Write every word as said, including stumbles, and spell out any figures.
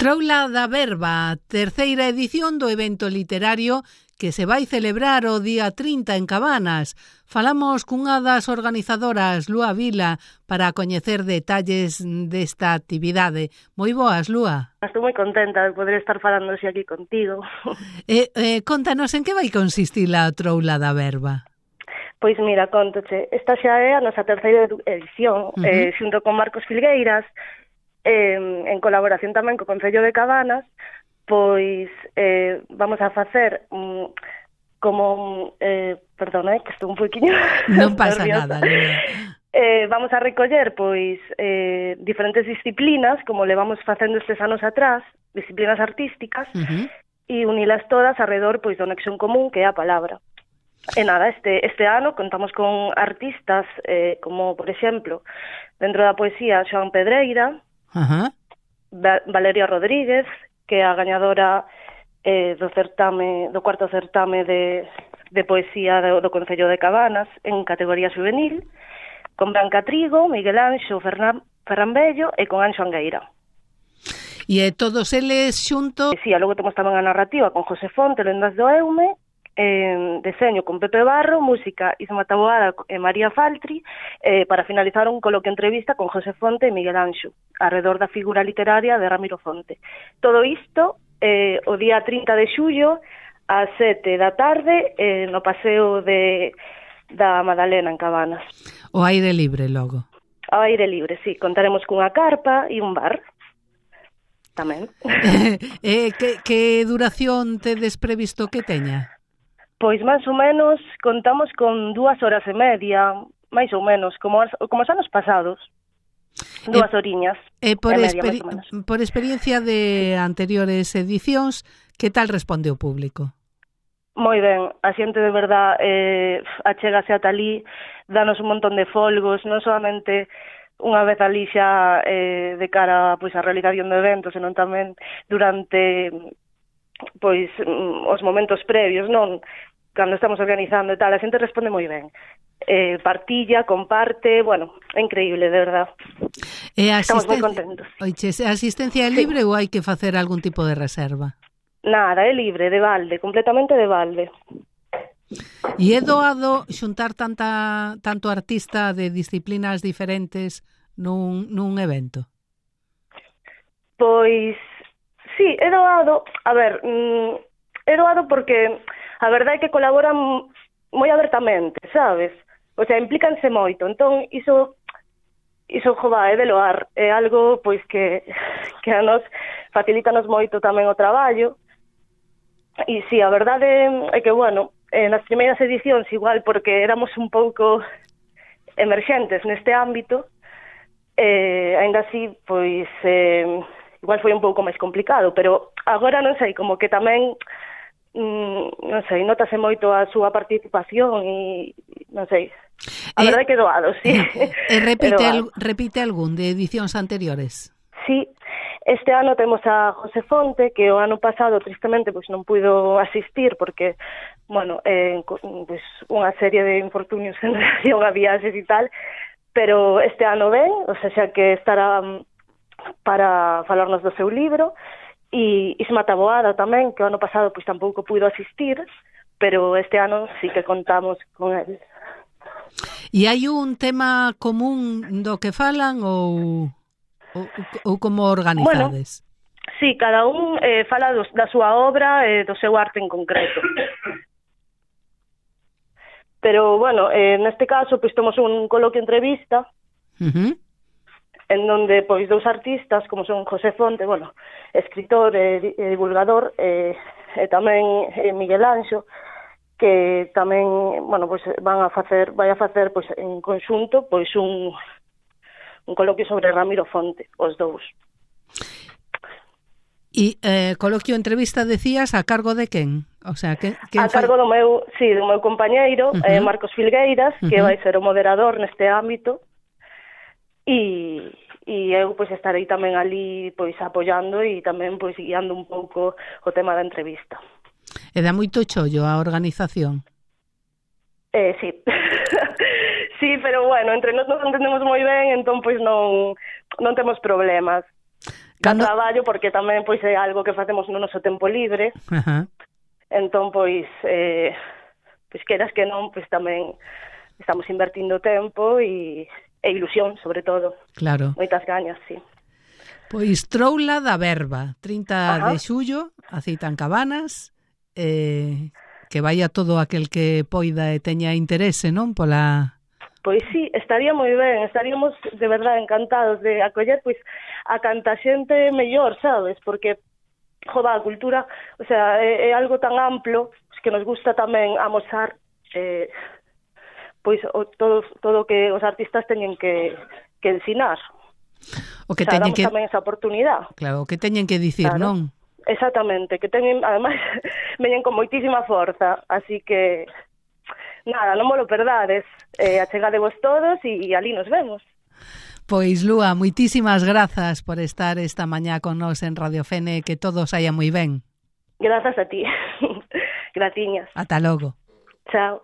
Troula da Verba, terceira edición do evento literario que se vai celebrar o día trinta en Cabanas. Falamos cunha das organizadoras, Lúa Vila, para coñecer detalles desta actividade. Moi boas, Lúa. Estou moi contenta de poder estar falando aquí contigo. Eh, eh, contanos en que vai consistir a Troula da Verba. Pois mira, contoche, esta xa é a nosa terceira edición, uh-huh. eh, xunto con Marcos Filgueiras, eh, en colaboración tamén co Concello de Cabanas, pois eh, vamos a facer um, como, eh, perdona, eh, que estou un poquinho non pasa nerviosa. nada, Lúa. Eh, vamos a recoller pois eh, diferentes disciplinas, como levamos facendo estes anos atrás, disciplinas artísticas, uh-huh. e unilas todas alrededor pois do nexo en común que é a palabra. E nada, este, este ano contamos con artistas eh, como, por exemplo, dentro da poesía, Xoán Pedreira, uh-huh. Va- Valeria Rodríguez, que é a gañadora eh, do certame, do cuarto certame de, de poesía do, do Concello de Cabanas en categoría juvenil, con Branca Trigo, Miguel Anxo Fernan, Ferran Bello e con Anxo Angueira. E eh, todos eles xunto... E, sí, logo temos tamén a narrativa con José Fonte, Lendas do Eume, eh, deseño con Pepe Barro, música Isma Taboada e María Faltri, eh, para finalizar un coloquio entrevista con José Fonte e Miguel Anxo, alrededor da figura literaria de Ramiro Fonte. Todo isto eh, o día trinta de xullo ás sete da tarde eh, no paseo de, da Madalena en Cabanas. O aire libre logo. Ao aire libre, sí. Contaremos cunha carpa e un bar tamén. eh, eh, que, que duración tedes previsto que teña? Pois máis ou menos contamos con dúas horas e media, máis ou menos, como, as, como os anos pasados. Dúas eh, oriñas eh, por, e media, experi máis ou menos. Por experiencia de anteriores edicións, que tal responde o público? Moi ben, a xente de verdad eh, achégase ata ali, danos un montón de folgos, non solamente unha vez ali xa eh, de cara pois, a realización do evento, senón tamén durante pois os momentos previos, non? Cando estamos organizando e tal, a xente responde moi ben. Eh, partilla, comparte, bueno, é increíble, de verdad. E estamos moi contentos. Oiches, a asistencia é libre sí. Ou hai que facer algún tipo de reserva? Nada, é libre, de balde, completamente de balde. E é doado xuntar tanta tanto artista de disciplinas diferentes nun, nun evento? Pois, sí, é doado. A ver, mm, é doado porque a verdade é que colaboran moi abertamente, sabes? O sea, implícanse moito. Entón, iso, iso jova, é de loar. É algo, pois, que, que a nos facilítanos moito tamén o traballo. E sí, a verdade é que, bueno, nas primeiras edicións igual porque éramos un pouco emerxentes neste ámbito, eh, ainda así, pois, eh, igual foi un pouco máis complicado, pero agora non sei, como que tamén, mm, non sei, notase moito a súa participación e, non sei, a eh, verdade que doado, sí. E repite, el, repite algún de edicións anteriores? Sí. Este ano temos a José Fonte, que o ano pasado, tristemente, pois non puido asistir, porque, bueno, eh, pois, unha serie de infortunios en relación a viaxes e tal, pero este ano ven, o sea, xa que estará para falarnos do seu libro, e Isma Taboada tamén, que o ano pasado pois tampouco puido asistir, pero este ano sí que contamos con él. E hai un tema común do que falan ou... Ou, ou como organizades? Bueno, sí, cada un eh, fala dos, da súa obra e eh, do seu arte en concreto. Pero, bueno, eh, neste caso, pois temos un coloquio entrevista uh-huh. en donde, pois, dous artistas, como son José Fonte, bueno, escritor e, e divulgador, e, e tamén e Miguel Anxo, que tamén, bueno, pois van a facer, vai a facer, pois, en conxunto, pois, un... un coloquio sobre Ramiro Fonte, os dous. E eh, coloquio entrevista, decías, a cargo de quen? O sea, que, a cargo foi? do meu, sí, do meu compañeiro, uh-huh. eh, Marcos Filgueiras, uh-huh. que vai ser o moderador neste ámbito, e, e eu pois estarei tamén ali pois apoiando e tamén pois guiando un pouco o tema da entrevista. E dá moito chollo a organización? Eh, sí. Sí, pero bueno, entre nós nos entendemos moi ben, entón pois non non temos problemas. Cando... traballo, porque tamén pois é algo que facemos no noso tempo libre. Ajá. Entón, pois, eh, pois queras que non, pois tamén estamos invertindo tempo e, e ilusión, sobre todo. Claro. Moitas gañas, sí. Pois Troula da Verba, trinta Ajá. de xullo, a cita en Cabanas, eh, que vaya todo aquel que poida e teña interese, non? Pola... Pois sí, estaría moi ben, estaríamos de verdade encantados de acoller pois a canta xente mellor, sabes? Porque, joda, a cultura, o sea, é, é algo tan amplo que nos gusta tamén amosar eh, pois o, todo, todo que os artistas teñen que, que ensinar. O que o sea, teñen damos que... tamén esa oportunidade. Claro, o que teñen que dicir, Claro. non? Exactamente, que teñen, ademais, veñen con moitísima forza, así que, nada, non mo lo perdades, eh, achegadevos todos e, e ali nos vemos. Pois, Lúa, moitísimas grazas por estar esta mañá con nós en Radio Fene, que todo saia moi ben. Grazas a ti. Gratiñas. Ata logo. Chao.